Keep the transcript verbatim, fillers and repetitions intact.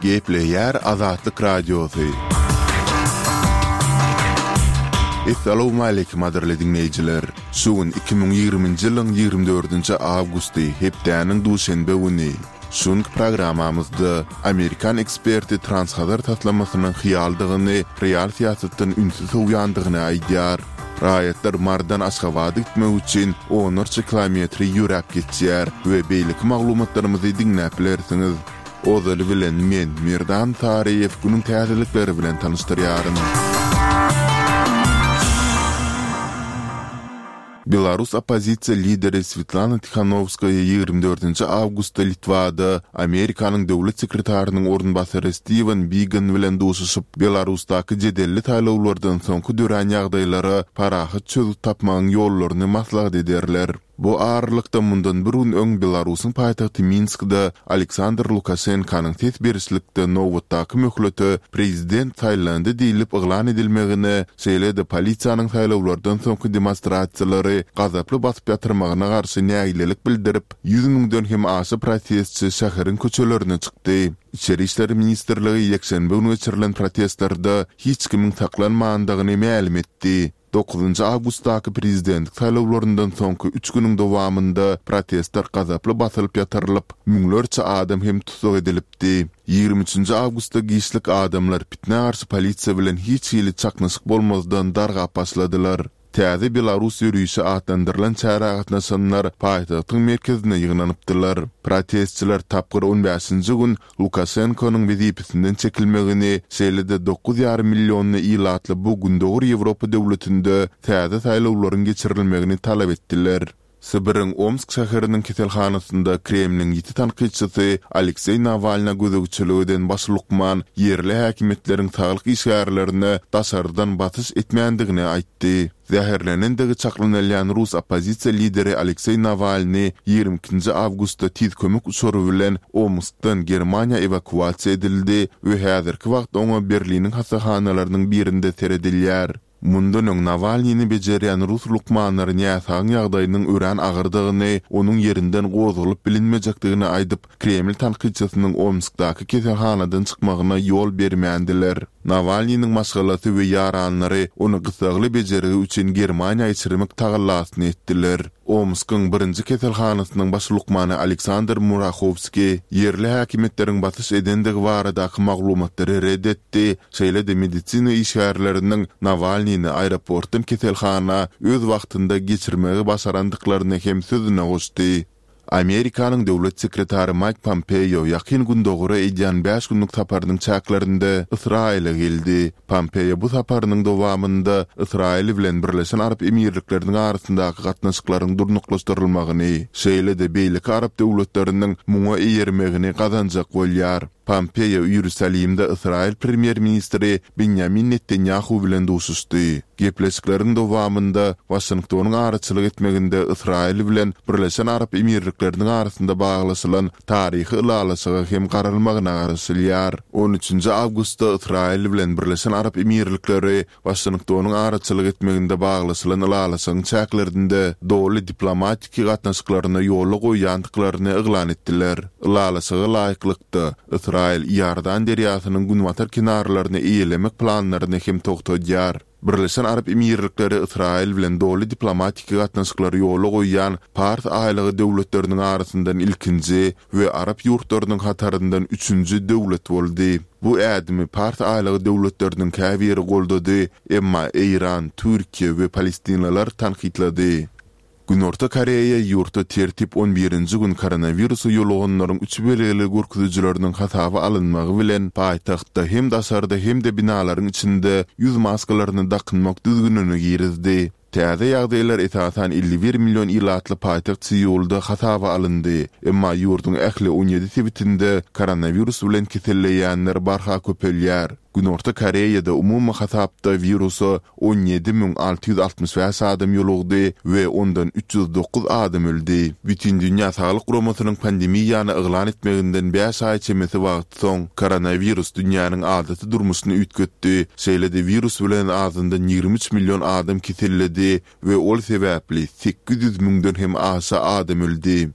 Gepleýär Azatlyk Radiosy. Essalawmaleýkim gadyrly diňleýjiler. Şu gün iki müň ýigriminji ýylyň ýigrimi dördünji awgusty, hepdäniň duşenbe güni. Şu günki programmamyzda amerikan eksperti Transhazar taslamasynyň hyýaldygyny, real syýasatdan ünsi sowýandygyny aýdýar. Raýatlar Marydan Aşgabada gitmek üçin onlarça kilometri ýöräp geçýär we beýleki maglumatlarymyzy diňläp bilersiňiz. Ozaly bilen men, Merdan Saryýew günüň täzelikleri bilen tanyşdyrýaryn. Belarus oppozisiýa lideri Swetlana Tihanowskaýa ýigrimi dördünji awgustda Litwada Amerikanyň döwlet sekretarynyň orunbasary Stiwen Bigan bilen duşuşyp, Belarusdaky jedelli saýlawlardan soňky dörän ýagdaýlara parahat çözgüt tapmagyň ýollaryny maslahat ederler. Bu aralykda mundan bir gün öň Belarusyň paýtagty Minskde Aleksandr Lukaşenkanyň ses berişlikde nobatdaky möhlete prezident saýlandy diýlip yglan edilmegine, şeýle-de polisiýanyň saýlawlardan soňky demonstrasiýalary gazaply basyp ýatyrmagyna garşy nägilelik bildirip, ýüz müňden hem aşa protestçi şäheriň köçelerine çykdy. Içeri işler ministrligi ýekşenbe güni geçirilen protestlerde hiç kimiň saklanmandygyny mälim etdi. Dokuzynjy awgustdaky prezidentlik saýlawlaryndan soňky üç günüň dowamynda protestler gazaply basylyp ýatyrylyp, müňlerçe adam hem tussag edilipdi. Ýigrimi üçünji awgustda giçlik adamlar pitnä garşy polisiýa bilen hiç hili çaknyşyk bolmazdan dargap başladylar. Täze Belarus ýörişi atlandyrylan çärä gatnaşanlar paýtagtyň merkezine ýygnanypdylar. Protestçiler tapgyr on bäşinji gün Lukaşenkonyň wezipesinden çekilmegini, şeýle-de dokuz ýarym millionly ilatly bu Gündogar Ýewropa döwletinde täze saýlawlaryň geçirilmegini talap etdiler. Sibiriň Omsk şäheriniň keselhanasynda Kremliň ýiti tankytçysy Alekseý Nawalna gözegçilik eden baş lukman ýerli häkimiýetleriň saglyk işgärlerine daşardan basyş etmändigini aýtdy. Zäherlenendigi çaklanylýan rus oppozisiýa lideri Alekseý Nawalnyý ýigrimi ikinji awgustda tiz kömek uçary bilen Omskdan Germaniýa ewakuasiýa edildi we häzirki wagt oňa Berliniň hassahanalarynyň birinde seredilýär. Mundan öň Nawalnyny bejerýän rus lukmanlary näsagyň ýagdaýynyň örän agyrdygyny, onuň ýerinden gozgalyp bilinmejekdigini aýdyp, Kreml tankytçysynyň Omskdaky keselhanadan çykmagyna ýol bermändiler. Nawalnynyň maşgalasy we ýaranlary ony gyssagly bejergi üçin Germaniýa geçirmek tagallasyny etdiler. Omskyň birinji keselhanasynyň baş lukmany Aleksandr Murahowskiý ýerli häkimiýetleriň basyş edendigi baradaky maglumatlary ret etdi, şeýle-de medisina işgärleriniň Nawalnyny aeroportdan keselhana öz wagtynda geçirmegi başarandyklaryny hem sözüne goşdy. Amerikanyň döwlet sekretary Maýk Pompeo Ýakyn Gündogara edýän bäş günlük saparynyň çäklerinde Ysraýyla geldi. Pompeo bu saparynyň dowamynda Ysraýyl bilen Birleşen Arap Emirlikleriniň arasyndaky gatnaşyklaryň durnuklaşdyrylmagyny, şeýle-de beýleki arap döwletleriniň muňa eýermegini gazanjak bolýar. Pompeo Iýerusalimde Ysraýyl premýer-ministri Binýamin Netanýahu bilen duşuşdy. Gepleşikleriň dowamynda Waşingtonyň araçylyk etmeginde Ysraýyl bilen Birleşen Arap Emirlikleriniň arasynda baglaşylan taryhy ylalaşyga hem garalmagyna garaşylýar. On üçünji awgustda Ysraýyl bilen Birleşen Arap Emirlikleri Waşingtonyň araçylyk etmeginde baglaşylan ylalaşygyň çäklerinde doly diplomatiki gatnaşyklaryny ýola goýýandyklaryny yglan etdiler. Ylalaşyga laýyklykda, Ysraýyl Iordan derýasynyň günbatar kenarlaryny eýelemek planlaryny hem togtadýar. Birleşen Arap Emirlikleri Ysraýyl bilen doly diplomatiki gatnaşyklary ýola goýýan Pars aýlagy döwletleriniň arasyndan ilkinji we arap ýurtlarynyň hataryndan üçünji döwlet boldy. Bu ädimi Pars aýlagy döwletleriniň käbiri goldady, emma Eýran, Türkiýe we palestinliler tankytlady. Günorta Koreýa ýurtda tertip on birinji gün koronawirusa ýoluganlaryň üç belgili görkezijileriniň hasaba alynmagy bilen paýtagtda hem daşarda hem-de binalaryň içinde ýüz maskalaryny dakynmak düzgünini girizdi. Täze ýagdaýlar esasan elli bir million ilatly paýtagt Seulda hasaba alyndy. Emma ýurduň ähli on ýedi sebitinde koronawirus bilen keselleýänler barha köpelýär. Günorta Koreýada umumy hasapda wirusa on ýedi müň alty ýüz altmyş bäş adam ýolugdy we ondan üç ýüz dokuz adam öldi. Bütindünýä Saglyk Guramasynyň pandemiýany yglan etmeginden bäş aý çemesi wagt soň, koronawirus dünýäniň adaty durmuşyny üýtgetdi, şeýle-de wirus bilen azyndan ýigrimi üç million adam keselledi we ol sebäpli sekiz ýüz müňden hem aşa adam öldi.